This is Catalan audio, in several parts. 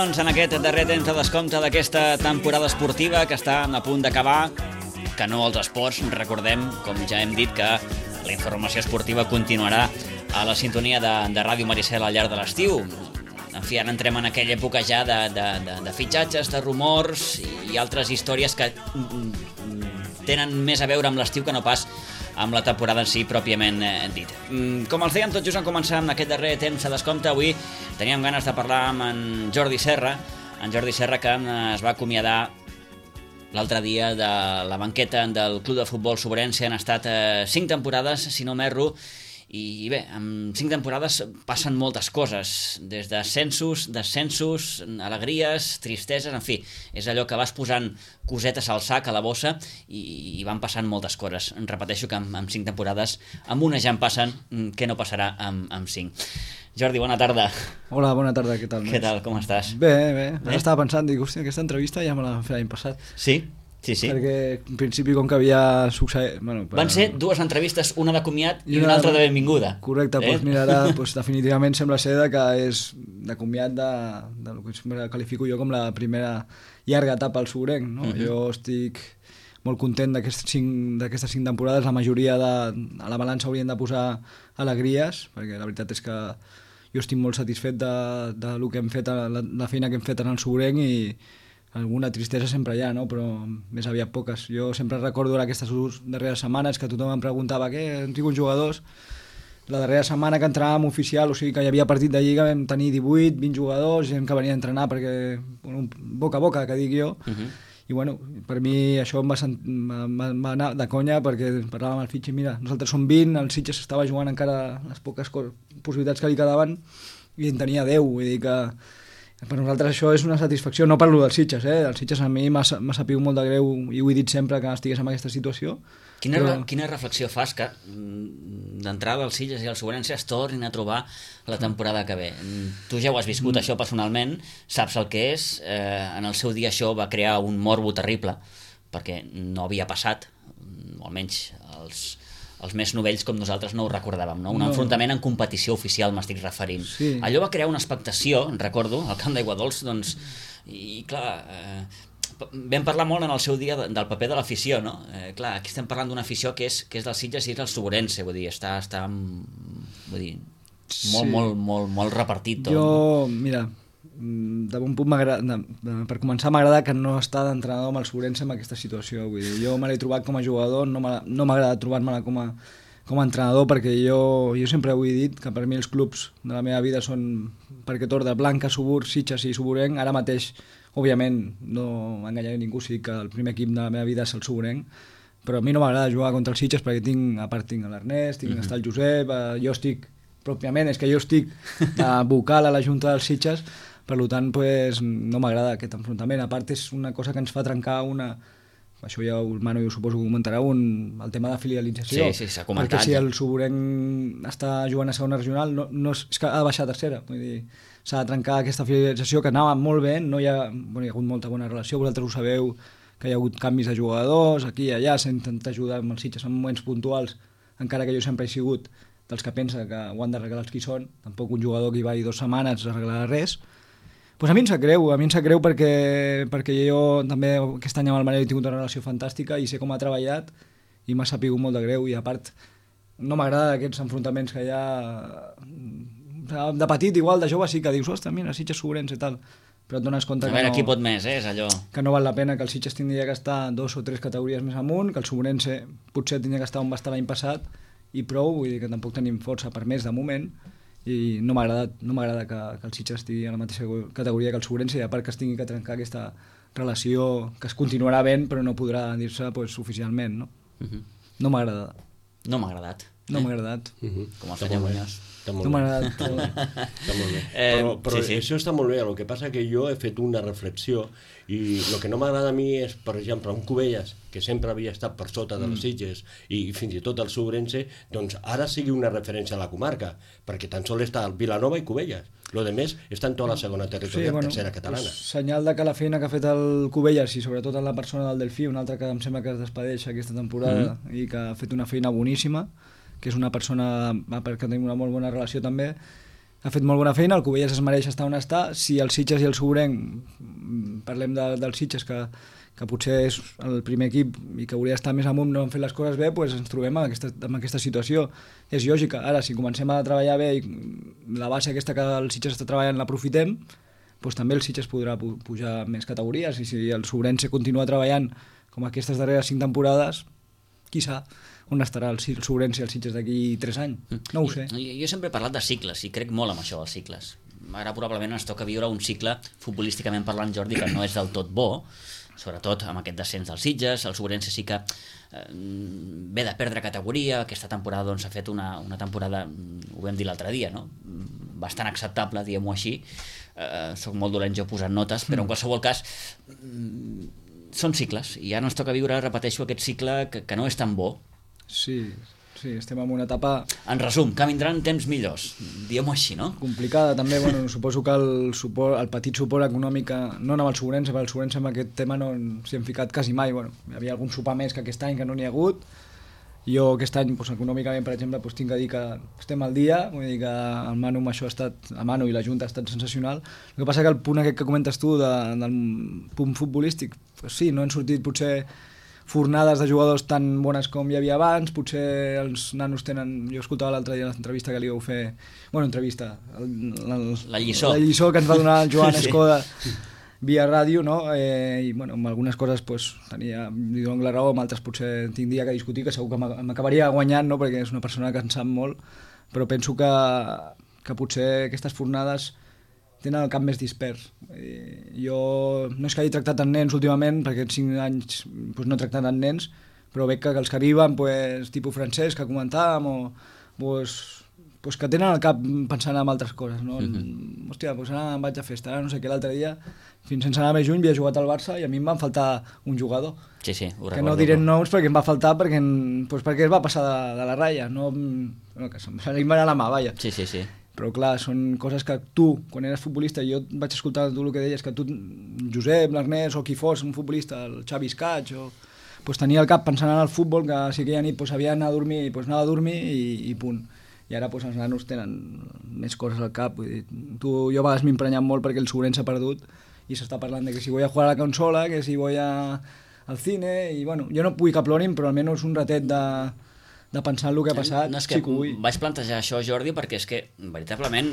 doncs, en aquest darrer temps de descompte d'aquesta temporada esportiva que està a punt d'acabar, que no els esports, recordem, com ja hem dit, que la informació esportiva continuarà a la sintonia de Ràdio Maricel al llarg de l'estiu. En fi, ara entrem en aquella època ja de fitxatges, de rumors i altres històries que tenen més a veure amb l'estiu que no pas amb la temporada en si pròpiament dit. Com els dèiem, tot just en començar amb aquest darrer temps de descompte, avui teníem ganes de parlar amb en Jordi Serra, que es va acomiadar l'altre dia de la banqueta del Club de Futbol Sobrense. Han estat 5 temporades, si no m'erro, i bé, en 5 temporades passen moltes coses, des d'ascensos, descensos, alegries, tristeses, en fi, és allò que vas posant cosetes al sac, a la bossa, i van passant moltes coses. Repeteixo que amb 5 temporades, amb una ja en passen, què no passarà amb 5. Jordi, bona tarda. Hola, bona tarda, què tal? Què tal, com estàs? Bé. Ara estava pensant, dic, hòstia, aquesta entrevista ja me la vam fer l'any passat. Sí? Sí. Perquè en principi com que havia succeït... Van ser 2 entrevistes, una de comiat i una altra de benvinguda. Correcte, doncs mira, ara definitivament sembla ser que és de comiat del que qualifico jo com la primera llarga etapa al Sobrenc, no? Jo estic molt content d'aquestes 5 temporades. La majoria a la balança haurien de posar alegries, perquè la veritat és que jo estic molt satisfet de lo que hem fet, la feina que hem fet en el Sobrenc, i alguna tristesa sempre hi ha, no? Però més aviat poques. Jo sempre recordo aquestes darreres setmanes que tothom em preguntava què, han tingut jugadors. La darrera setmana que entràvem oficial, o sigui que hi havia partit de Lliga, vam tenir 18, 20 jugadors, gent que venia a entrenar perquè, boca a boca, que dic jo. I bueno, per mi això em va anar de conya, perquè parlàvem amb el Fitxi, mira, nosaltres som 20, el Sitges estava jugant encara les poques possibilitats que li quedaven i en tenia 10, vull dir que per nosaltres això és una satisfacció. No parlo dels Sitges, El Sitges a mi m'ha sapigut molt de greu i ho he dit sempre que estigués en aquesta situació. Quina reflexió fas que d'entrada els Sitges i el Sobrense es tornin a trobar la temporada que ve? Tu ja ho has viscut, això personalment, saps el que és. En el seu dia això va crear un morbo terrible, perquè no havia passat, o almenys els més novells com nosaltres no ho recordàvem, no? Un enfrontament en competició oficial, m'estic referint. Sí. Allò va crear una expectació, recordo, al camp d'Aiguadols, doncs, i clar, vam parlar molt en el seu dia del paper de l'afició, no? Clar, aquí estem parlant d'una afició que és dels Sitges i és del Sobrense, vull dir, està molt repartit tot. Jo, mira, de bon punt per començar m'agrada que no està d'entrenador amb el Sobrense en aquesta situació, vull dir, jo me l'he trobat com a jugador, no m'agrada trobar-me-la com a entrenador, perquè jo sempre ho he dit que per mi els clubs de la meva vida són perquè Torda, Blanca, Subur, Sitges i Suburenc. Ara mateix, òbviament, no enganyaré ningú si dic que el primer equip de la meva vida és el Suburenc, però a mi no m'agrada jugar contra els Sitges perquè tinc l'Ernest, està el Josep, jo estic vocal a la Junta dels Sitges. Per tant, no m'agrada aquest enfrontament. A part, és una cosa que ens fa trencar això ja el Manu jo suposo que ho comentarà, el tema de filialització. Sí, s'ha comentat. Perquè si el Suburenc està jugant a segona regional, no és que ha de baixar a tercera. Vull dir, s'ha de trencar aquesta filialització que anava molt bé, hi ha hagut molta bona relació, vosaltres ho sabeu, que hi ha hagut canvis de jugadors, aquí i allà, s'ha intentat ajudar amb els Sitges en moments puntuals, encara que jo sempre he sigut dels que pensa que ho han d'arreglar els qui són, tampoc un jugador que hi va 2 setmanes arreglarà res. Pues a mi em sap greu perquè jo també aquest any amb el Manel he tingut una relació fantàstica i sé com ha treballat i m'ha sapigut molt de greu, i a part no m'agrada aquests enfrontaments que hi ha de petit, igual de jove sí que dius, ostres, mira, Sitges, Sobrense i tal, però et dones compte qui pot més, és allò que no val la pena, que el Sitges tindria que estar 2 o 3 categories més amunt, que el Sobrense potser tindria que estar on va estar l'any passat i prou, vull dir que tampoc tenim força per més de moment. I no m'agrada que el Sitges estigui a la mateixa categoria que el Sobrense, i a part que es tingui que trencar aquesta relació que es continuarà ben però no podrà dir-se oficialment, no? No m'ha agradat. No m'ha agradat. Com el senyor Muñoz. No m'ha agradat. Està molt bé. Però sí. Això està molt bé, el que passa que jo he fet una reflexió i el que no m'agrada a mi és, per exemple, un Cubelles, que sempre havia estat per sota de les Sitges i fins i tot el Sobrense, doncs ara sigui una referència a la comarca, perquè tan sols està el Vilanova i Cubelles. Lo de més està en tota la segona territorial, tercera catalana. Senyal de que la feina que ha fet el Cubelles, i sobretot en la persona del Delfí, un altre que em sembla que es despedeix aquesta temporada i que ha fet una feina boníssima, que és una persona que tenim una molt bona relació també, ha fet molt bona feina, el Cubelles es mereix estar on està. Si el Sitges i el Sobrenc, parlem del Sitges, que potser és el primer equip i que hauria d'estar més amunt, no han fet les coses bé, doncs ens trobem amb aquesta situació. És lògica. Ara, si comencem a treballar bé i la base aquesta que el Sitges està treballant l'aprofitem, doncs també el Sitges podrà pujar més categories, i si el Sobrense continua treballant com aquestes darreres 5 temporades, qui sap on estarà el Sobrense i el Sitges d'aquí 3 anys. No ho sé. Jo sempre he parlat de cicles i crec molt en això dels cicles. Ara probablement ens toca viure un cicle futbolísticament parlant, Jordi, que no és del tot bo, sobretot amb aquest descens dels Sitges. El Sobrense sí que ve de perdre categoria. Aquesta temporada doncs, ha fet una temporada, ho vam dir l'altre dia, no? Bastant acceptable, diguem-ho així. Soc molt dolent jo posant notes, però en qualsevol cas són cicles, i ara ens toca viure, repeteixo, aquest cicle que no és tan bo. Sí, estem en una etapa... En resum, que vindran temps millors, diguem-ho així, no? Complicada, també. Bueno, suposo que el petit suport econòmic, no amb el Sobrense, perquè el Sobrense amb aquest tema no s'hi han ficat quasi mai. Bueno, hi havia algun sopar més que aquest any que no n'hi ha hagut. Jo aquest any, doncs, econòmicament, per exemple, doncs, tinc que dir que estem al dia, vull dir que el Manu amb això ha estat, el Manu i la Junta ha estat sensacional. El que passa que el punt aquest que comentes tu del punt futbolístic, doncs sí, no han sortit potser fornades de jugadors tan bones com hi havia abans, potser els nanos tenen... Jo escoltava l'altre dia l'entrevista que li vau fer... Bueno, entrevista... La lliçó. La lliçó que ens va donar el Joan Escoda via ràdio, no? I bueno, amb algunes coses pues, li dono la raó, amb altres potser tindria que discutir, que segur que m'acabaria guanyant, no? Perquè és una persona que en sap molt, però penso que potser aquestes fornades tenen el cap més dispers. Jo no és que hagi tractat amb nens últimament, perquè en 5 anys pues, no he tractat amb nens, però veig que els que arriben, pues, tipus francès que comentàvem, o pues, que tenen el cap pensant en altres coses, no? Hòstia, pues ara em vaig a festa, ara no sé què, l'altre dia, fins sense anar més lluny, havia jugat al Barça i a mi em van faltar un jugador. Sí, ho recordo. Que no diré noms perquè em va faltar perquè es va passar de la ratlla, no, que se li va anar la mà, vaja. Sí. Però clar, són coses que tu, quan eres futbolista, jo vaig escoltar tu el que deies, que tu, Josep, l'Ernest o qui fos un futbolista, el Xavi Escaig, pues tenia el cap pensant en el futbol, que si aquella nit pues, havia d'anar a dormir, pues anava a dormir i punt. I ara pues, els nanos tenen més coses al cap. Vull dir, jo a vegades m'he emprenyat molt perquè el Sobrense s'ha perdut i s'està parlant de que si voy a jugar a la consola, que si voy al cine, i bueno, jo no vull que plorin, però almenys un ratet de pensar en el que ha passat, no, és que sí que vull. Vaig plantejar això, Jordi, perquè és que veritablement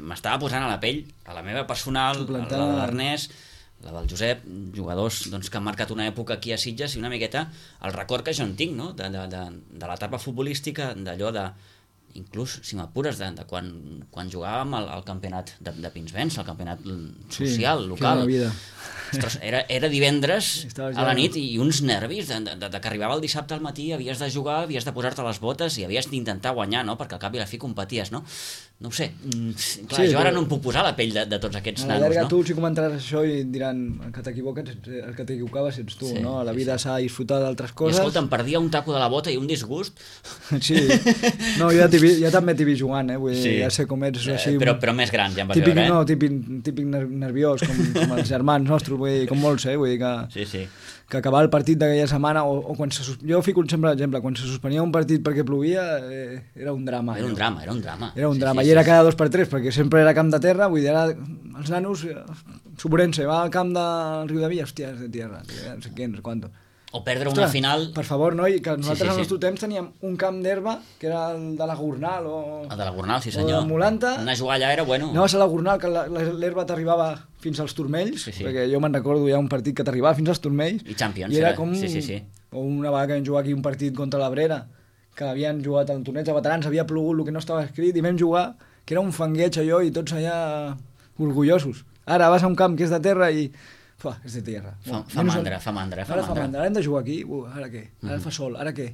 m'estava posant a la pell, a la meva personal, la de l'Ernest, la del Josep, jugadors doncs, que han marcat una època aquí a Sitges, i una miqueta el record que jo en tinc, no? de l'etapa futbolística, d'allò de inclús, si m'apures, de quan jugàvem al campionat de Pinsbens, el campionat social, local. Ostres, era divendres a la nit i uns nervis que arribava el dissabte al matí, havies de jugar, havies de posar-te les botes i havies d'intentar guanyar, no? Perquè al cap i a la fi competies, no? No ho sé, clar, jo ara no em puc posar a la pell de tots aquests nanos, no? A la llarga tu els comentaràs això i diran el que t'equivocaves ets tu, no? A la vida s'ha de disfrutar d'altres coses. I escolta, em perdia un taco de la bota i un disgust. Sí, no, jo també t'he vist jugant, vull dir, ja sé com ets així... Però més gran, ja em vas veure, No, típic nerviós, com els germans nostres, vull dir, com molts, vull dir que... que acabar el partit d'aquella setmana o quan jo fico sempre l'exemple, quan se suspenia un partit perquè plovia era un drama. Era un drama. I era cada 2x3 perquè sempre era camp de terra, vull dir, ara els nanos Sobrense, va al camp del Riu de Villa, hòstia, és de tierra, no sé què, no sé quanto. O perdre una final... Per favor, noi, que nosaltres al nostre temps teníem un camp d'herba, que era el de la Gornal El de la Gornal, sí senyor. O de Molanta. Anar a jugar allà era bueno. Anaves a la Gornal, que l'herba t'arribava fins als turmells, perquè jo me'n recordo, hi ha un partit que t'arribava fins als turmells. I Champions, i era com... Sí. O una vegada que vam jugar aquí un partit contra l'Abrera, que havien jugat al torneig de veterans, havia plogut el que no estava escrit, i vam jugar, que era un fangueig allò, i tots allà orgullosos. Ara vas a un camp que és de terra i... és de tierra. Fa mandra. Ara hem de jugar aquí, ara què? Ara fa sol, ara què?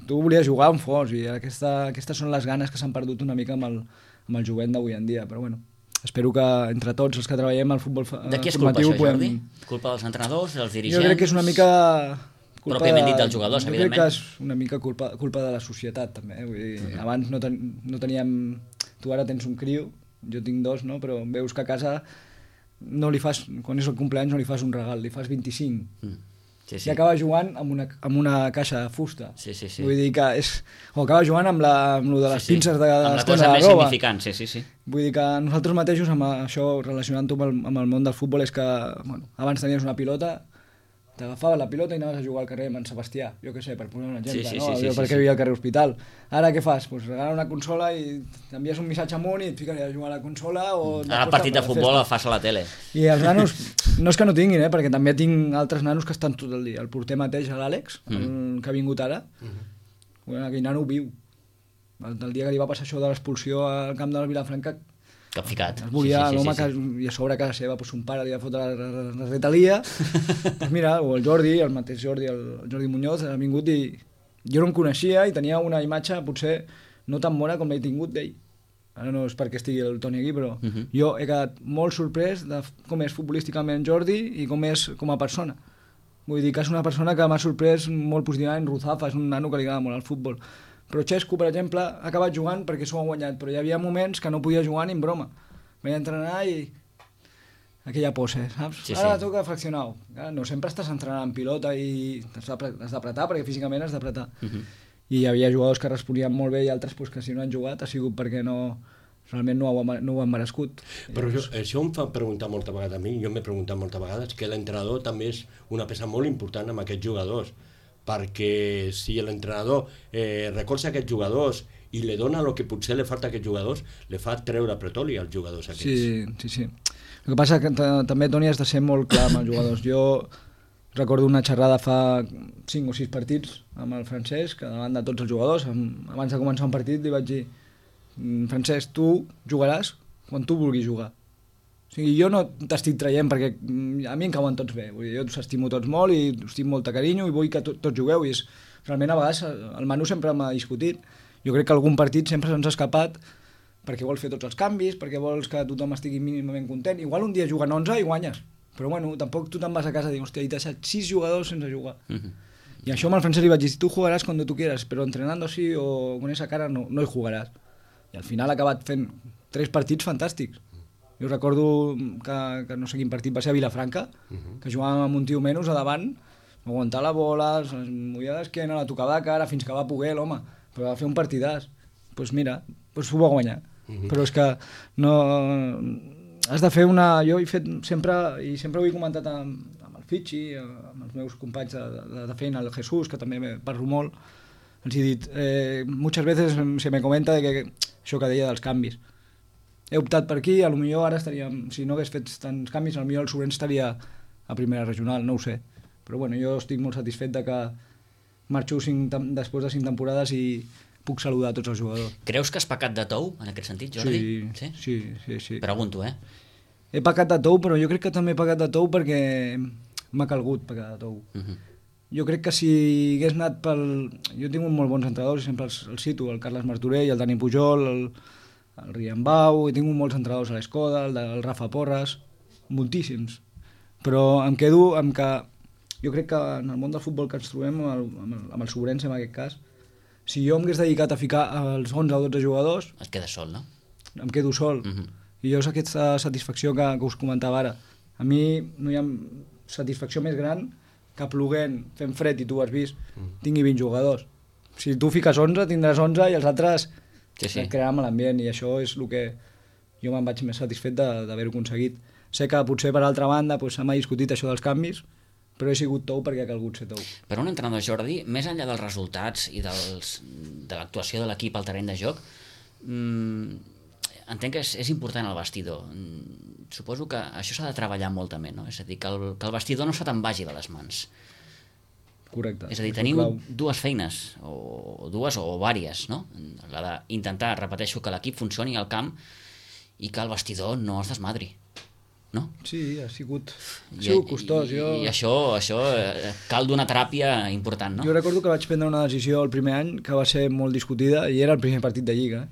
Tu volies jugar on fos i aquestes són les ganes que s'han perdut una mica amb el jovent d'avui en dia, però bueno, espero que entre tots els que treballem al futbol formatiu... De qui és culpa això, Jordi? Culpa dels entrenadors, dels dirigents? Jo crec que és una mica... Pròpiament dit dels jugadors, evidentment. Jo crec que és una mica culpa de la societat, també. Vull dir, abans no teníem... Tu ara tens un criu, jo tinc 2, no? Però veus que a casa... no li fas, quan és el cumpleaños no li fas un regal, li fas 25. i acaba jugant amb una caixa de fusta. Sí. Vull dir que o acaba jugant amb lo de les pinces de amb la cosa més significant, sí. Vull dir que nosaltres mateixos, amb això, relacionant-ho amb el món del futbol, és que abans tenies una pilota, t'agafaves la pilota i anaves a jugar al carrer amb en Sebastià, jo què sé, per posar un exemple, perquè vivia al carrer Hospital. Ara què fas? Pues regalar una consola i t'envies un missatge amunt i et fiques a jugar a la consola o... Ara el partit de futbol el fas a la tele. I els nanos, no és que no tinguin, perquè també tinc altres nanos que estan tot el dia. El porter mateix, l'Àlex, que ha vingut ara, aquell nano viu. El dia que li va passar això de l'expulsió al camp de la Vilafranca, capficat. Es volia l'home que i a sobre a casa seva, son pare li va fotre la retalia. Pues mira, o el Jordi, el mateix Jordi, el Jordi Muñoz, ha vingut i jo no em coneixia i tenia una imatge potser no tan bona com l'he tingut d'ell. Ara no és perquè estigui el Toni aquí, però jo he quedat molt sorprès de com és futbolísticament Jordi i com és com a persona. Vull dir que és una persona que m'ha sorprès molt positivament. Ruzafa és un nano que li agrada molt al futbol. Però Xesco, per exemple, ha acabat jugant perquè s'ho ha guanyat, però hi havia moments que no podia jugar ni en broma. Vaig entrenar i aquella pose, saps? Ara toca fraccionar-ho. No sempre estàs entrenant en pilota i has d'apretar, perquè físicament has d'apretar. I hi havia jugadors que responien molt bé i altres que si no han jugat ha sigut perquè realment no ho han merescut. Però això em fa preguntar moltes vegades a mi, jo m'he preguntat moltes vegades, que l'entrenador també és una peça molt important amb aquests jugadors, perquè si l'entrenador recolza aquests jugadors i li dona el que potser li falta a aquests jugadors, li fa treure pretoli als jugadors aquests. Sí. El que passa que també, Toni, has de ser molt clar amb els jugadors. Jo recordo una xerrada fa 5 o 6 partits amb el Francesc, davant de tots els jugadors. Abans de començar un partit li vaig dir: Francesc, tu jugaràs quan tu vulguis jugar. O sigui, jo no t'estic traient perquè a mi em cauen tots bé. Vull dir, jo us estimo tots molt i us tinc molt de carinyo i vull que tots jugueu. I realment a vegades el Manu sempre m'ha discutit. Jo crec que algun partit sempre se'ns ha escapat perquè vols fer tots els canvis, perquè vols que tothom estigui mínimament content. Igual un dia juguen 11 i guanyes, però bueno, tampoc tu te'n vas a casa i dius, hòstia, he deixat 6 jugadors sense jugar. I això amb el Francesc li vaig dir: tu jugaràs cuando tu quieras, però entrenando así o con esa cara no hi jugaràs. I al final ha acabat fent 3 partits fantàstics. Jo recordo que no sé quin partit va ser a Vilafranca, que jugàvem amb un tio menys a davant, aguantar la bola, es movia d'esquena, la tocava de cara fins que va poder l'home, però va fer un partidàs. Doncs mira, ho va guanyar. Però és que no... Has de fer una... Jo he fet sempre, i sempre ho he comentat amb el Fitxi, amb els meus companys de feina, el Jesús, que també parlo molt, els he dit, muchas veces se me comenta de que això que deia dels canvis. He optat per aquí, potser ara estaríem, si no hagués fet tants canvis, potser el Sobrense estaria a primera regional, no ho sé. Però bueno, jo estic molt satisfet de que marxo després de 5 temporades i puc saludar a tots els jugadors. Creus que has pecat de tou, en aquest sentit, Jordi? Sí. Pregunto, He pecat de tou, però jo crec que també he pecat de tou perquè m'ha calgut pecar de tou. Jo crec que si hagués anat pel... Jo tinc molt bons entrenadors, sempre els cito, el Carles Martorell, el Dani Pujol, el Riambau, he tingut molts entrenadors a l'Escoda, el Rafa Porras, moltíssims. Però em quedo amb que jo crec que en el món del futbol que ens trobem, amb el Sobrense en aquest cas, si jo m'hagués dedicat a ficar els 11 o 12 jugadors... Et quedes sol, no? Em quedo sol. I jo és aquesta satisfacció que us comentava ara. A mi no hi ha satisfacció més gran que ploguent, fent fred, i tu ho has vist, tingui 20 jugadors. Si tu fiques 11, tindràs 11 i els altres crearan l'ambient, i això és el que jo me'n vaig més satisfet d'haver-ho aconseguit. Sé que potser per altra banda se m'ha discutit això dels canvis, però he sigut tou perquè ha calgut ser tou. Per un entrenador, Jordi, més enllà dels resultats i de l'actuació de l'equip al terreny de joc, entenc que és important el vestidor. Suposo que això s'ha de treballar molt també, no? És a dir, que el vestidor no se te'n vagi de les mans. Correcte. És a dir, teniu dues feines, o dues o vàries, no? La d'intentar, repeteixo, que l'equip funcioni al camp i que el vestidor no es desmadri. No? Sí, ha sigut costós. I això cal d'una teràpia important, no? Jo recordo que vaig prendre una decisió el primer any que va ser molt discutida i era el primer partit de Lliga.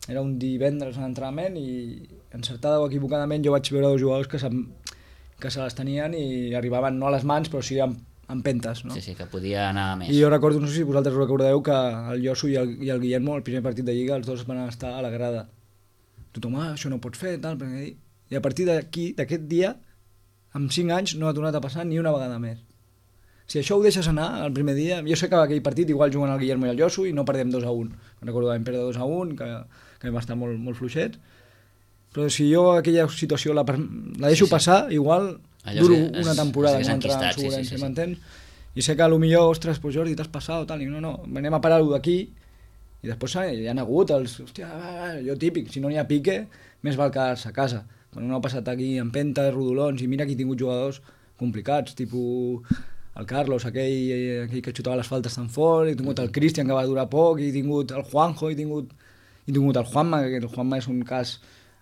Era un divendres en entrenament i encertada o equivocadament jo vaig veure 2 jugadors que se les tenien i arribaven no a les mans però sí amb pentes, no? Sí, que podia anar més. I jo recordo, no sé si vosaltres recordeu, que el Josu i el Guillermo, el primer partit de Lliga, els dos van estar a la grada. Tothom, això no pots fer, tal, perquè... I a partir d'aquí, d'aquest dia, amb 5 anys, no ha tornat a passar ni una vegada més. Si això ho deixes anar el primer dia... Jo sé que aquell partit igual juguen el Guillermo i el Josu i no perdem 2-1. Recordo que vam perdre 2-1, que vam estar molt, molt fluixets. Però si jo aquella situació la deixo passar, igual duro una temporada no entrar en Segurense, m'entens? I sé que potser, ostres, pues Jordi, t'has passat, tal, i no, anem a parar-ho d'aquí, i després hi ha hagut els... Hòstia, jo típic, si no n'hi ha pique, més val quedar-se a casa. Quan no ha passat aquí en pentes, rodolons, i mira que he tingut jugadors complicats, tipus el Carlos, aquell que xutava les faltes tan fort, he tingut el Cristian, que va durar poc, he tingut el Juanjo, he tingut el Juanma, que el Juanma és un cas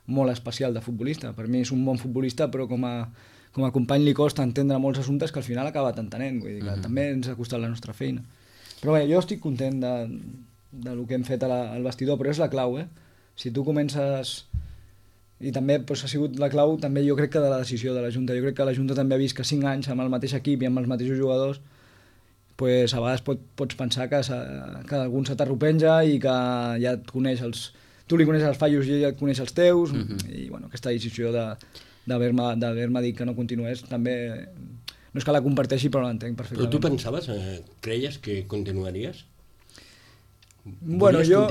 molt especial de futbolista. Per mi és un bon futbolista, però com a company li costa entendre molts assumptes que al final ha acabat entenent, vull dir que també ens ha costat la nostra feina. Però bé, jo estic content de lo que hem fet al vestidor, però és la clau, Si tu comences... I també ha sigut la clau, també jo crec que de la decisió de la Junta. Jo crec que la Junta també ha vist que 5 anys amb el mateix equip i amb els mateixos jugadors, a vegades pots pensar que algun se t'arropenja i que ja et coneix tu li coneixes els fallos i ella et coneix els teus, i bueno, aquesta decisió d'haver-me dit que no continués també no és que la comparteixi, però l'entenc perfectament. Però tu pensaves, creies que continuaries? Bueno, jo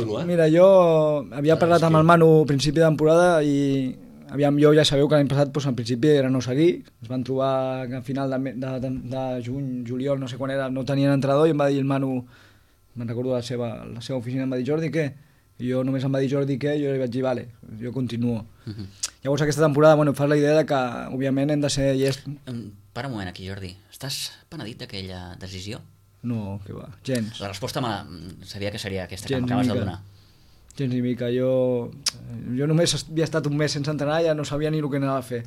havia parlat amb el Manu a principi de temporada i jo ja sabeu que l'any passat al principi era no seguir, es van trobar que a final de juny, juliol, no sé quan era, no tenien entrenador i em va dir el Manu, me'n recordo la seva oficina, em va dir Jordi, què? I jo només em va dir Jordi què, jo li vaig dir vale, jo continuo. Llavors aquesta temporada, fas la idea que òbviament hem de ser llest. Para un moment aquí, Jordi, estàs penedit d'aquella decisió? No, que va, gens. La resposta sabia que seria aquesta que m'acabes de donar. Gens ni mica, jo només havia estat un mes sense entrenar, ja no sabia ni el que anava a fer.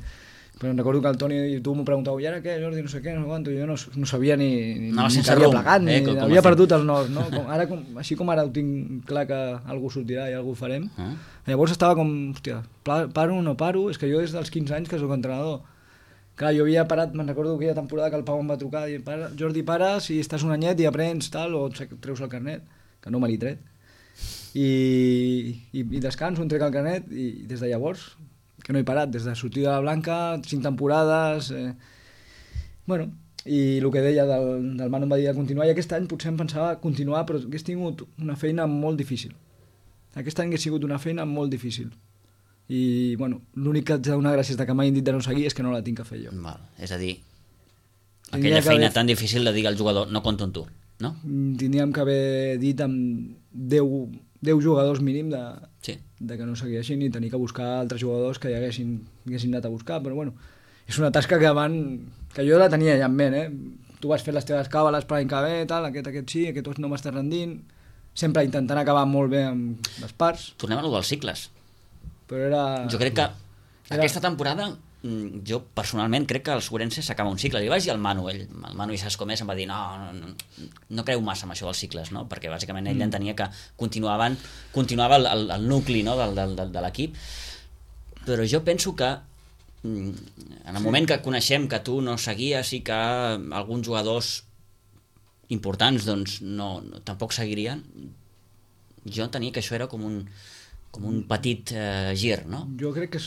Però recordo que el Toni i tu m'ho preguntàveu, i ara què, Jordi, no sé què, no sé quanto, jo no sabia ni que havia plegat, ni havia perdut el nord, no? Així com ara ho tinc clar que algú sortirà i algú ho farem. Llavors estava com, hòstia, paro o no paro? És que jo des dels 15 anys que soc entrenador. Clar, jo havia parat, me'n recordo aquella temporada que el Pau em va trucar i Jordi, para, si estàs un anyet i aprens tal, o treus el carnet, que no me l'he tret. I descanso, em trec el carnet i des de llavors, que no he parat, des de sortir de la Blanca, 5 temporades... Bueno, i el que deia del Manu em va dir de continuar, i aquest any potser em pensava continuar, però hagués tingut una feina molt difícil. Aquest any hagués sigut una feina molt difícil. I bueno, l'únic que haig de donar gràcies que m'hagin dit de no seguir és que no la tinc que fer jo. És a dir, aquella feina tan difícil de dir al jugador no compto amb tu, no? Tindríem que haver dit amb 10 jugadors mínim de que no segueixin i tenir que buscar altres jugadors que ja haguessin anat a buscar, però bueno, és una tasca que jo la tenia ja en ment, Tu vas fer les teves càbales per l'any que ve, tal, aquest sí, aquest no m'està rendint, sempre intentant acabar molt bé amb les parts. Tornem a lo dels cicles. Però era... Jo crec que aquesta temporada, jo personalment crec que el Segurense s'acaba un cicle. Li vaig dir al Manu, el Manu i saps com és, em va dir no creu massa amb això dels cicles, no? Perquè bàsicament ell entenia que continuava el nucli, no? de l'equip. Però jo penso que en el moment que coneixem que tu no seguies i que alguns jugadors importants doncs tampoc seguirien, jo entenia que això era com un petit gir, no? Jo crec que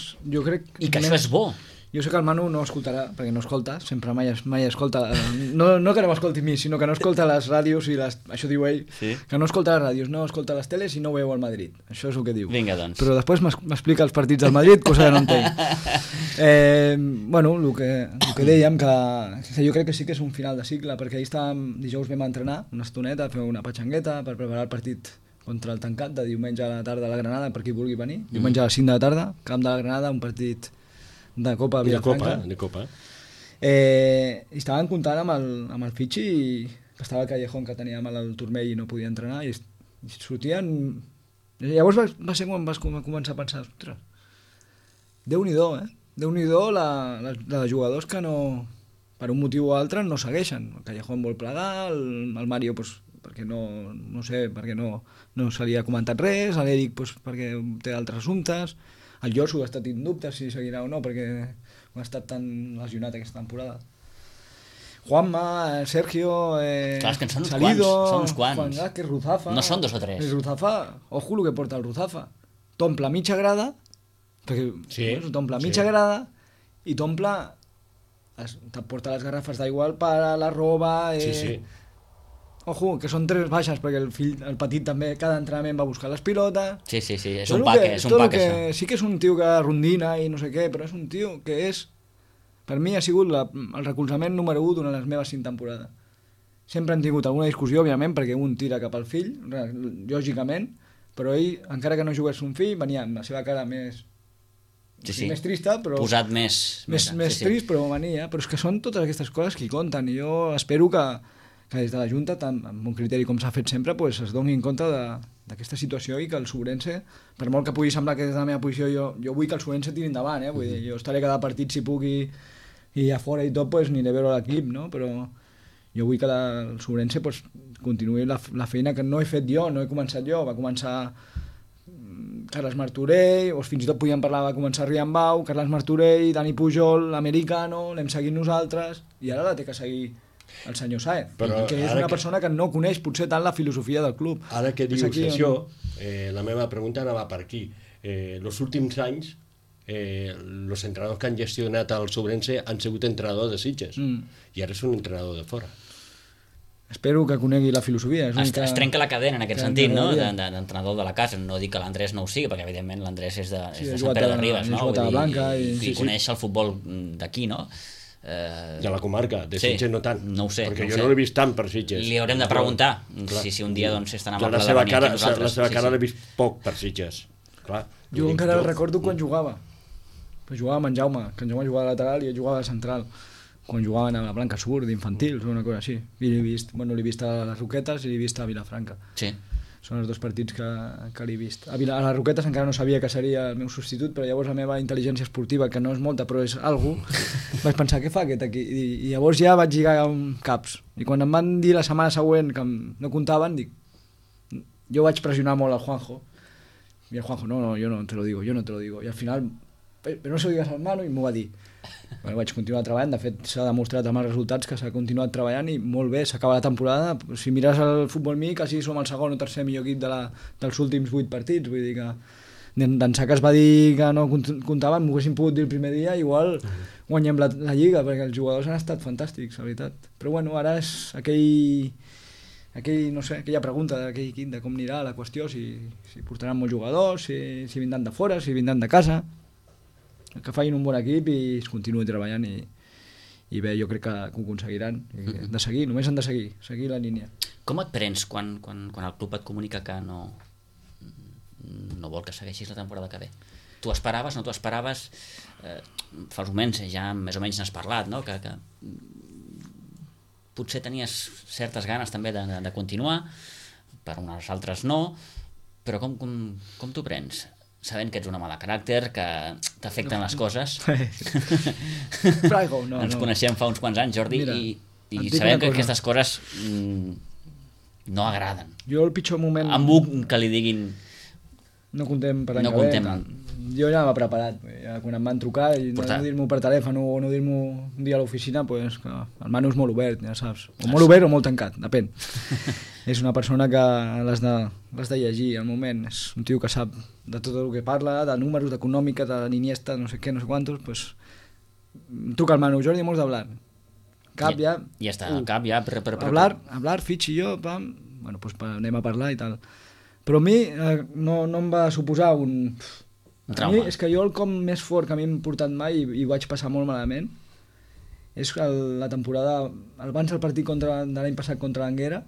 I que això és bo. Jo sé que el Manu no escoltarà, perquè no escolta, sempre mai escolta, no que no m'escolti a mi, sinó que no escolta les ràdios i això diu ell, que no escolta les ràdios, no escolta les teles i no veu el Madrid. Això és el que diu. Vinga, doncs. Però després m'explica els partits del Madrid, cosa que no entenc. Bueno, el que dèiem, que jo crec que sí que és un final de cicle, perquè dijous vam entrenar una estoneta, fer una patxangueta per preparar el partit contra el Tancat de diumenge a la tarda a la Granada, per qui vulgui venir. Diumenge a les 5 de la tarda, camp de la Granada, un partit de Copa a Vilafranca. De Copa. I estaven comptant amb el fitxi que estava el Callejón, que tenia mal al turmell i no podia entrenar, i sortien... Llavors va ser quan vas començar a pensar, ostres, Déu-n'hi-do, Déu-n'hi-do la de jugadors que no, per un motiu o altre, no segueixen. El Callejón vol plegar, el Mario, perquè no sé, perquè no se li ha comentat res, l'Eric perquè té altres assumptes, el Josu ha estat en dubte si seguirà o no, perquè ha estat tan lesionat aquesta temporada. Juanma, Sergio, clar, que són Salido, uns quants. Juan Vázquez, Ruzafa... No són 2 o 3. Ruzafa, ojo el que porta el Ruzafa. T'omple mitja grada, perquè t'omple mitja grada i t'omple te porta les garrafes d'aigua al pare, la roba... Sí. Ojo, que són 3 baixes, perquè el petit també, cada entrenament va buscar les pilotes... Sí, és un pack, això. Sí que és un tio que rondina i no sé què, però és un tio que és... Per mi ha sigut el recolzament número 1 durant les meves 5 temporades. Sempre han tingut alguna discussió, òbviament, perquè un tira cap al fill, lògicament, però ell, encara que no jugués un fill, venia amb la seva cara més... més trista, però... Posat més trist, però venia. Però és que són totes aquestes coses que hi compten, i jo espero que des de la Junta, tant amb un criteri com s'ha fet sempre, pues, es doni en compte d'aquesta situació i que el Sobrense, per molt que pugui semblar que des de la meva posició jo vull que el Sobrense tiri endavant, vull dir, jo estaré cada partit si puc i a fora i tot, pues, aniré a veure l'equip, no? Però jo vull que el Sobrense pues, continuï la feina que no he fet jo, no he començat jo, va començar Carles Martorell, o fins i tot podíem parlar, va començar Riambau, Carles Martorell, Dani Pujol, l'Americano, l'hem seguit nosaltres, i ara la té que seguir el senyor Saez, que és una persona que no coneix potser tant la filosofia del club. Ara que dius això, la meva pregunta anava per aquí. Els últims anys, els entrenadors que han gestionat el Sobrense han sigut entrenadors de Sitges, i ara és un entrenador de fora. Espero que conegui la filosofia. Es trenca la cadena en aquest sentit, no? D'entrenador de la casa. No dic que l'Andrés no ho sigui, perquè evidentment l'Andrés és de Sant Pere de Ribes, no? I coneix el futbol d'aquí, no? De la comarca, de Sitges no tant, no ho sé, perquè jo no l'he vist tant per Sitges. Li haurem de preguntar si un dia és tan amable de venir aquí nosaltres. La seva cara l'he vist poc per Sitges. Jo encara recordo quan jugava. Jugava amb en Jaume, que en Jaume jugava de lateral i ell jugava de central, quan jugaven a la Blanca Sur, d'infantils o una cosa així. I l'he vist a les Roquetes i l'he vist a Vilafranca. Sí. Són els 2 partits que l'he vist. A les Roquetes encara no sabia que seria el meu substitut, però llavors la meva intel·ligència esportiva, que no és molta però és algú, vaig pensar, què fa aquest aquí? I llavors ja vaig lligar caps. I quan em van dir la setmana següent que no comptaven, dic, jo vaig pressionar molt al Juanjo. I el Juanjo, no, yo no te lo digo. I al final, però no se lo digas al Manu, i m'ho va dir. Bueno, vaig continuar treballant, de fet s'ha demostrat amb els resultats que s'ha continuat treballant i molt bé, s'acaba la temporada, si mires el Futbol Mi quasi som el segon o tercer millor equip dels últims 8 partits, vull dir que d'ençà que es va dir que no comptaven, m'ho haguessin pogut dir el primer dia, igual guanyem la Lliga, perquè els jugadors han estat fantàstics, la veritat. Però bueno, ara és aquella pregunta d'aquell equip de com anirà la qüestió, si portaran molts jugadors, si vindran de fora, si vindran de casa, que facin un bon equip i es continuï treballant i bé, jo crec que ho aconseguiran. De seguir, només han de seguir la línia. Com et prens quan el club et comunica que no vol que segueixis la temporada que ve? T'ho esperaves, no t'ho esperaves? Fa uns moments ja més o menys n'has parlat, no? Que potser tenies certes ganes també de continuar, per unes altres no, però com t'ho prens? Sabent que ets un home de caràcter, que t'afecten les coses. Ens coneixem fa uns quants anys, Jordi, i sabem que aquestes coses no agraden. Jo el pitjor moment... Amb un que li diguin... No contem per l'any que ve. Jo ja m'ha preparat. Quan em van trucar i no dir-m'ho per telèfon o no dir-m'ho un dia a l'oficina, pues, el Manu és molt obert, ja saps. O molt obert o molt tancat, depèn. És una persona que l'has de llegir al moment. És un tio que sap de tot el que parla, de números, d'econòmica, de l'Iniesta, no sé què, no sé quantos, pues, truca al Manu, Jordi, hemos de hablar. Cap ja... Ja està, el cap ja... Hablar, Fitch i jo, pam, bueno, pues anem a parlar i tal. Però a mi no em va suposar un trauma. A mi és que jo el com més fort que a mi m'ha portat mai i vaig passar molt malament és la temporada, abans del partit de l'any passat contra l'Anguera,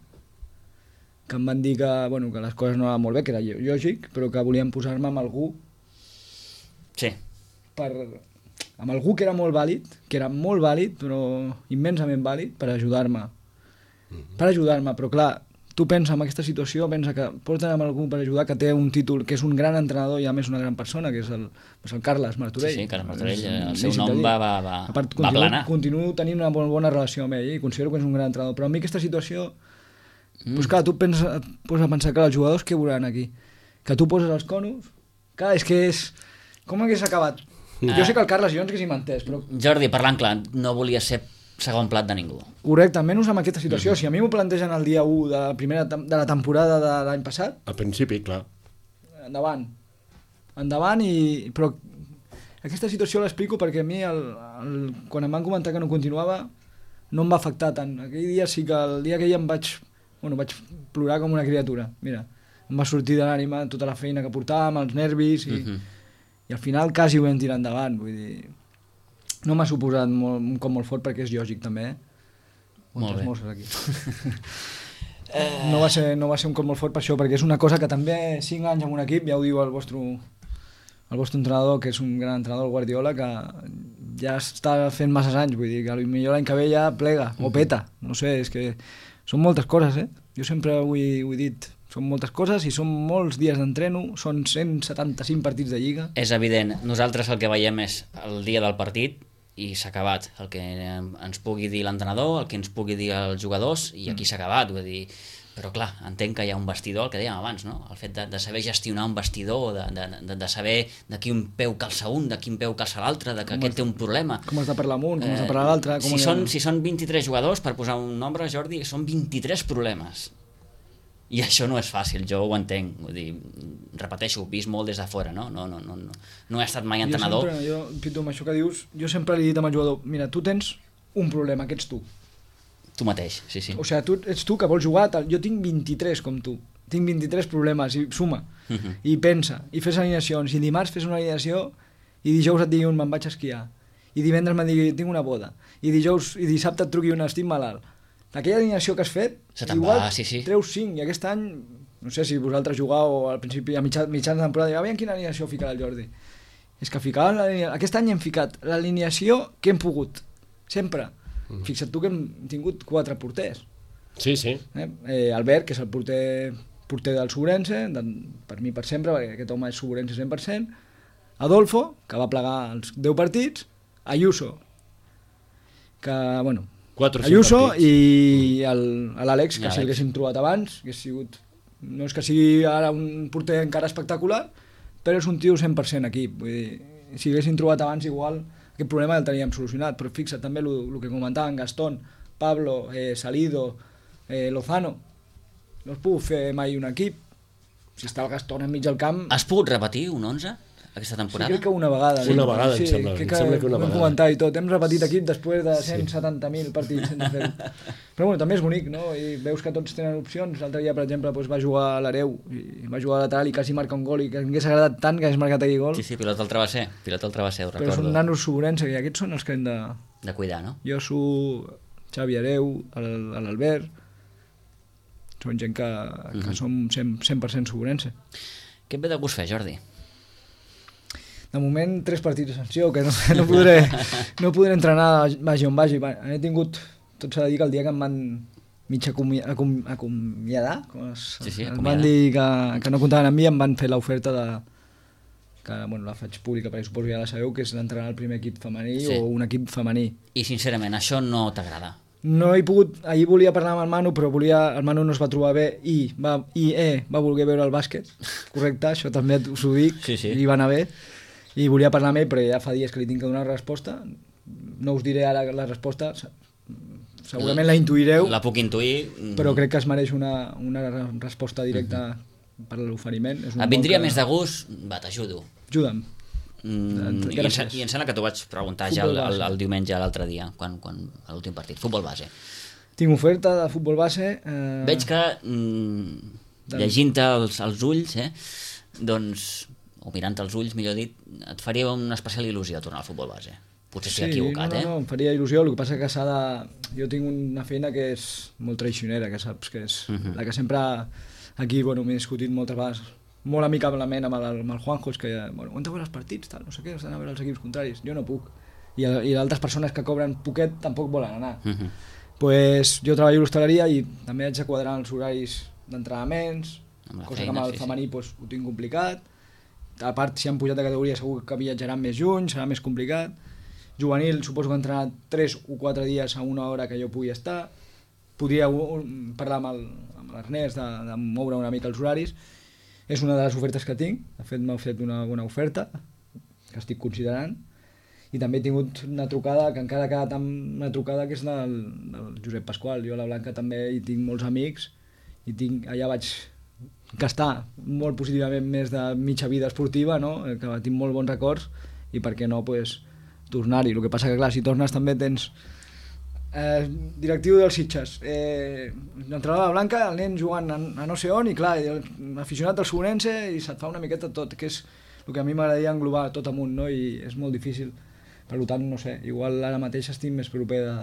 que em van dir que les coses no anaven molt bé, que era lògic, però que volien posar-me amb algú. Sí. Amb algú que era molt vàlid, però immensament vàlid, per ajudar-me. Però clar, tu pensa en aquesta situació, pensa que porten amb algú per ajudar, que té un títol, que és un gran entrenador i a més una gran persona, que és el Carles Martorell. Sí, Carles Martorell, el seu nom va planar. Continuo tenint una molt bona relació amb ell i considero que és un gran entrenador, però a mi aquesta situació, doncs clar, tu et poses a pensar que els jugadors què veuran aquí? Que tu poses els conos? Clar, és que és... Com hagués acabat? Jo sé que el Carles i jo ens haguéssim entès, però... Jordi, parlant clar, no volia ser segon plat de ningú. Correcte, menys amb aquesta situació. Si a mi m'ho plantegen el dia 1 de la temporada de l'any passat... Al principi, clar. Endavant, però aquesta situació l'explico perquè a mi, quan em van comentar que no continuava, no em va afectar tant. Aquell dia sí que el dia que ja vaig plorar com una criatura. Mira, em va sortir de l'ànima tota la feina que portàvem, els nervis, i al final quasi ho vam tirar endavant. Vull dir, no m'ha suposat un cop molt fort perquè és lògic també. Molt bé. Aquí. No va ser un cop molt fort per això, perquè és una cosa que també 5 anys en un equip, ja ho diu el vostre entrenador, que és un gran entrenador, el Guardiola, que ja està fent masses anys, vull dir que potser l'any que ve ja plega o peta, no sé, és que són moltes coses, jo sempre ho he dit, són moltes coses i són molts dies d'entreno, són 175 partits de Lliga. És evident, nosaltres el que veiem és el dia del partit i s'ha acabat, el que ens pugui dir l'entrenador, el que ens pugui dir els jugadors, i aquí s'ha acabat, vull dir, però clar, entenc que hi ha un vestidor, el que dèiem abans, no? El fet de saber gestionar un vestidor, de saber de quin peu calça un, de quin peu calça l'altre, de que aquest té un problema. Com has de parlar amb un, com has de parlar l'altre... Si són 23 jugadors, per posar un nombre, Jordi, són 23 problemes. I això no és fàcil, jo ho entenc, vull dir, repeteixo, ho he vist molt des de fora, no he estat mai entrenador. Pitu, amb això que dius, jo sempre li he dit al jugador, mira, tu tens un problema, que ets tu. Tu mateix, sí. O sigui, ets tu que vols jugar, jo tinc 23 com tu, tinc 23 problemes, i suma, i pensa, i fes alineacions, i dimarts fes una alineació, i dijous et digui me'n vaig a esquiar, i divendres me'n digui tinc una boda, i dissabte et truqui estic malalt. Aquella alineació que has fet, igual treus 5, i aquest any, no sé si vosaltres jugàveu al principi, a mitjans de temporada, aviam quina alineació ficarà el Jordi. És que aquest any hem ficat l'alineació que hem pogut, sempre. Fixa't tu que hem tingut 4 porters. Sí. Albert, que és el porter del Sobrense, per mi per sempre, perquè aquest home és Sobrense 100%, Adolfo, que va plegar els 10 partits, Ayuso, que, bueno, Ayuso i l'Àlex, que si l'haguéssim trobat abans, que no és que sigui ara un porter encara espectacular, però és un tio 100% equip. Vull dir, si haguéssim trobat abans, igual aquest problema el teníem solucionat, però fixa't també el que comentaven Gastón, Pablo, Salido, Lozano, no es puc fer mai un equip. Si està el Gastón enmig del camp... Has pogut repetir un 11 aquesta temporada? Sí, crec que una vegada. Una vegada, em sembla que una vegada. Comentar i tot. Hem repetit equip després de 170.000 partits sense fer-ho. Però bueno, també és bonic, no? I veus que tots tenen opcions. L'altre dia, per exemple, va jugar a l'Hereu, i va jugar a lateral i quasi marca un gol, i que m'hagués agradat tant que hagués marcat aquell gol. Sí, pilot del travesser, ho recordo. Però són nanos Sobrense, i aquests són els que hem de cuidar, no? Josu, Xavi Hereu, l'Albert... Són gent que som 100% Sobrense. Què et ve de gust fer, Jordi? De moment, 3 partits de sanció, que no podré entrenar vagi on vagi. He tingut, tot s'ha de dir que el dia que em van mig acomiadar, em van dir que no comptaven amb mi, em van fer l'oferta que la faig pública perquè suposo que ja la sabeu, que és d'entrenar el primer equip femení o un equip femení. I sincerament, això no t'agrada? No he pogut, ahir volia parlar amb el Manu, però el Manu no es va trobar bé i va voler veure el bàsquet, correcte, això també us ho dic, i va anar bé. I volia parlar amb ell, però ja fa dies que li tinc que donar resposta. No us diré ara la resposta, segurament la intuireu. La puc intuir. Però crec que es mereix una resposta directa per l'oferiment. Et vindria més de gust? Va, t'ajudo. Ajuda'm. I em sembla que t'ho vaig preguntar ja el diumenge, l'altre dia, quan a l'últim partit. Futbol base. Tinc oferta de futbol base. Veig que, llegint-te els ulls, doncs... o mirant els ulls, millor dit, et faria una especial il·lusió tornar al futbol base. Potser estic equivocat, no, em faria il·lusió, el que passa que jo tinc una feina que és molt traicionera, que saps, que és la que sempre aquí, m'he discutit moltes vegades, molt amicablement amb el Juanjo, és que, on te veus els partits, tal, no sé què, estan a veure els equips contraris, jo no puc. I altres persones que cobren poquet tampoc volen anar. Pues jo treballo a l'hostaleria i també haig de quadrar els horaris d'entrenaments, cosa que amb el femení ho tinc complicat. A part, si han pujat de categoria segur que viatjaran més juny, serà més complicat. Juvenil, suposo que entrenar 3 o 4 dies a una hora que jo pugui estar. Podria parlar amb l'Ernest de moure una mica els horaris. És una de les ofertes que tinc. De fet, m'ha fet una bona oferta que estic considerant. I també he tingut una trucada, que encara ha quedat amb una trucada, que és del Josep Pasqual. Jo a la Blanca també hi tinc molts amics i allà vaig gastar molt positivament més de mitja vida esportiva, no? Que tinc molt bons records, i per què no pues, tornar-hi. El que passa que clar, si tornes també tens directiu dels Sitges, l'entrenador de la Blanca, el nen jugant a no sé on i clar, aficionat al Sobrense i se't fa una miqueta tot, que és el que a mi m'agradaria englobar tot amunt, no? I és molt difícil. Per tant, no sé, igual ara mateix estic més proper de,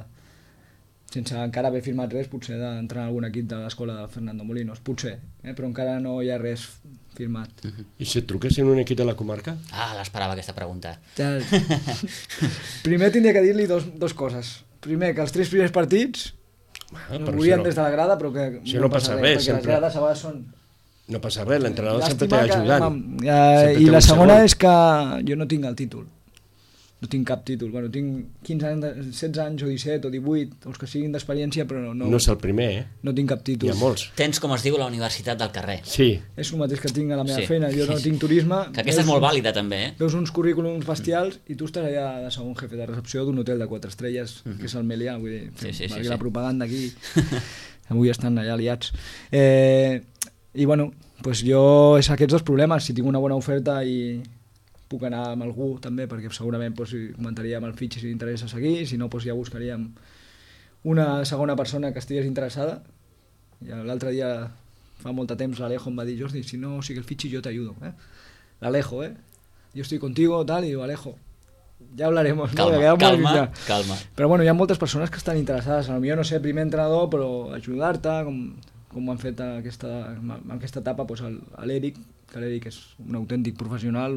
sense encara haver firmat res, potser d'entrar en algun equip de l'escola de Fernando Molinos, potser, però encara no hi ha res firmat. I si et truquessin un equip de la comarca? L'esperava aquesta pregunta. Primer tindria que dir-li dos coses. Primer, que els 3 primers partits no volien des de la grada, però que no passa res, perquè les grades a vegades són... No passa res, l'entrenador sempre t'ha ajudat. I la segona és que jo no tinc el títol. No tinc cap títol. Bueno, tinc 15 anys, 16 anys o 17 o 18, els que siguin d'experiència, però no... No és el primer, No tinc cap títol. Hi ha molts. Tens, com es diu, la universitat del carrer. Sí. És el mateix que tinc a la meva feina. Jo no tinc turisme. Que aquesta és molt vàlida, també, Veus uns currículums bestials i tu estàs allà de segon jefe de recepció d'un hotel de 4 estrelles, que és el Melià, vull dir, la propaganda aquí. Avui estan allà aliats. I bueno, pues jo és aquests dos problemes. Si tinc una bona oferta i puc anar amb algú també, perquè segurament comentaria amb el fitx si interessa seguir, si no ja buscaríem una segona persona que estigués interessada. I l'altre dia, fa molt de temps, l'Alejo em va dir: Jordi, si no sigue el fitx jo t'ayudo. L'Alejo, yo estoy contigo, tal, y digo, Alejo, ya hablaremos. Calma. Però bueno, hi ha moltes persones que estan interessades, a lo millor no sé, primer entrenador, però ajudar-te, com ho han fet en aquesta etapa, l'Eric, que l'Eric és un autèntic professional,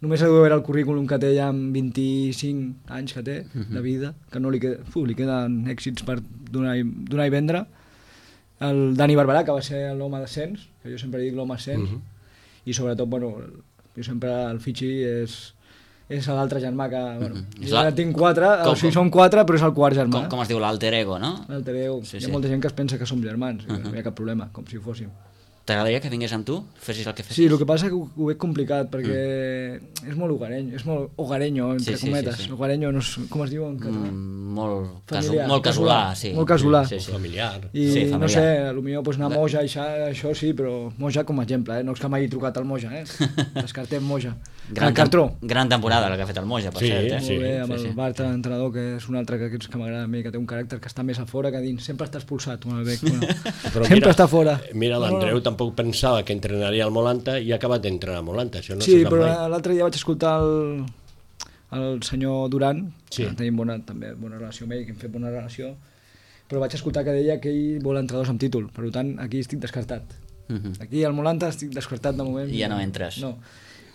només ha de veure el currículum que té ja amb 25 anys que té de vida, que no li queden èxits per donar i vendre. El Dani Barberà, que va ser l'home d'ascens, que jo sempre dic l'home ascens, i sobretot, bueno, jo sempre el Fitxi és l'altre germà que, bueno, jo tinc 4, o sigui, són 4, però és el quart germà. Com es diu, l'alter ego, no? L'alter ego. Hi ha molta gent que es pensa que som germans, no hi ha cap problema, com si ho fóssim. T'agradaria que vingués amb tu? Fessis el que fessis? Sí, el que passa és que ho veig complicat, perquè és molt hogareño, entre cometes. Hogareño, no sé, com es diu en català? Molt casolà, sí. Molt casolà. Familiar. I no sé, potser anar a Moja, això sí, però Moja com a exemple, no és que m'hagi trucat al Moja, descartem Moja. El Cartró. Gran temporada la que ha fet el Moja, per cert. Molt bé, amb el Bartra, l'entrenador, que és un altre que m'agrada a mi, que té un caràcter que està més a fora que a dins. Sempre està expulsat, sempre està fora. Mira, l'Andreu tampoc pensava que entrenaria al Molanta i ha acabat d'entrenar al Molanta. Sí, però l'altre dia vaig escoltar el senyor Duran, que tenim també bona relació amb ell, que hem fet bona relació, però vaig escoltar que deia que ell vol entrenadors amb títol, per tant aquí estic descartat. Aquí al Molanta estic descartat de moment. I ja no entres. No.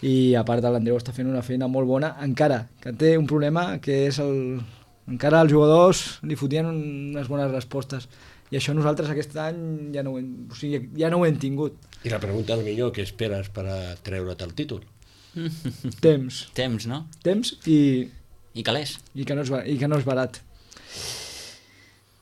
I a part l'Andreu està fent una feina molt bona, encara que té un problema que és encara els jugadors li fotien unes bones respostes i això nosaltres aquest any ja no ho hem tingut. I la pregunta al millor, què esperes per a treure't el títol? Temps, no? Temps i calés. I que no és barat.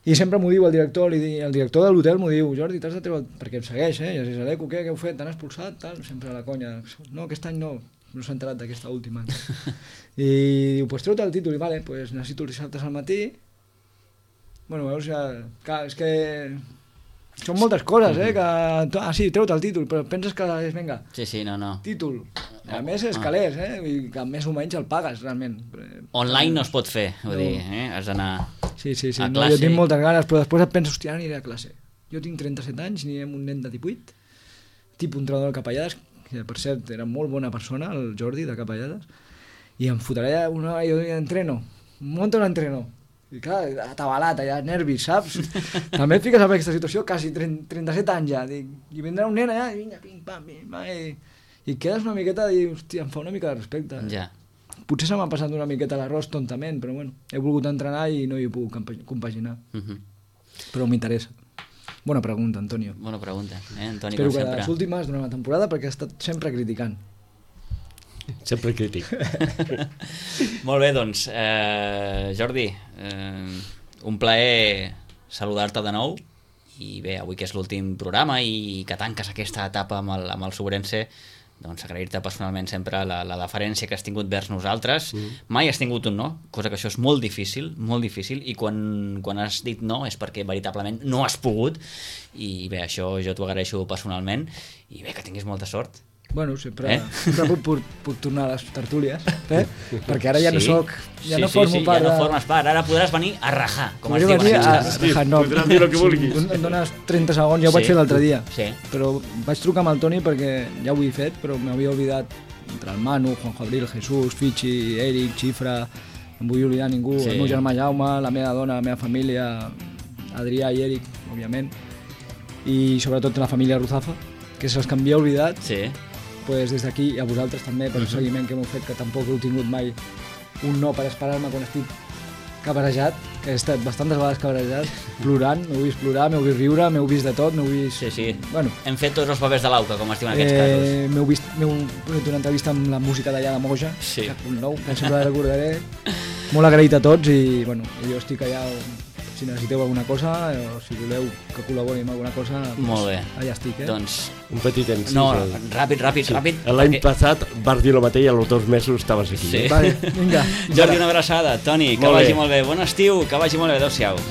I sempre m'ho diu el director de l'hotel m'ho diu: Jordi, t'has de treure, perquè em segueix, i es diu: Aleco, què heu fet? T'han expulsat? Tal, sempre a la conya. No, aquest any no s'ha enterat d'aquesta última. I diu: pues treu-te el títol. I vale, pues necessito els dissabtes al matí. Bueno, veus, clar, és que són moltes coses, sí, treu-te el títol, però penses que és, vinga, no. Títol. A més és calés, i que més o menys el pagues, realment. Online no es pot fer, vull dir, has d'anar Sí, a no, jo tinc moltes ganes, però després et penso, hòstia, aniré a classe. Jo tinc 37 anys, aniré amb un nen de 18, tipus entrenador de Capellades, que per cert era molt bona persona, el Jordi de Capellades, i em fotré jo entreno, monto l'entreno, i clar, atabalat, allà, nervis, saps? També et fiques en aquesta situació, quasi 37 anys ja, i vindrà un nen allà, i vinga, pim, pam, i quedes una miqueta i, hòstia, em fa una mica de respecte. Ja. Potser se m'ha passat una miqueta l'arròs tontament, però bueno, he volgut entrenar i no hi he pogut compaginar. Però m'interessa. Bona pregunta, Antonio. Bona pregunta, Antoni, espero com sempre. Espero que les últimes d'una temporada, perquè he estat sempre criticant. Sempre crític. Molt bé, doncs, Jordi, un plaer saludar-te de nou, i bé, avui que és l'últim programa i que tanques aquesta etapa amb el Sobrense, doncs agrair-te personalment sempre la deferència que has tingut vers nosaltres. Mai has tingut un no, cosa que això és molt difícil, i quan has dit no és perquè veritablement no has pogut, i bé, això jo t'ho agraeixo personalment, i bé, que tinguis molta sort Bueno, sempre puc tornar a les tertúlies, perquè ara ja no soc, ja no formo part ja no formes part, ara podràs venir a rajar, com es diu. Podràs dir el que vulguis. Em dones 30 segons, ja ho vaig fer l'altre dia, però vaig trucar amb el Toni perquè ja ho havia fet, però m'havia oblidat entre el Manu, Juanjo Abril, Jesús, Fichi, Eric, Xifra, no em vull oblidar ningú, el meu germà Jaume, la meva dona, la meva família, Adrià i Eric, òbviament, i sobretot la família Ruzafa, que se'ls que m'havia oblidat, pues des d'aquí, a vosaltres també, per el seguiment que m'heu fet, que tampoc heu tingut mai un no per esperar-me quan estic cabarejat, que he estat bastantes vegades cabarejat, plorant, m'heu vist plorar, m'heu vist riure, m'heu vist de tot, m'heu vist... Sí. Bueno, hem fet tots els papers de l'auca, com es diu en aquests casos. M'heu fet una entrevista amb la música d'allà de Moja, que sempre la recordaré. Molt agraït a tots i, bueno, jo estic allà... Si necessiteu alguna cosa o si voleu que col·labori amb alguna cosa, molt bé. Allà estic, Doncs un petit encís. No, ràpid. L'any passat vas dir el mateix i als 2 mesos estaves aquí. Vale, vinga. Jordi, una abraçada. Toni, que vagi molt bé. Bon estiu, que vagi molt bé. Adéu-siau.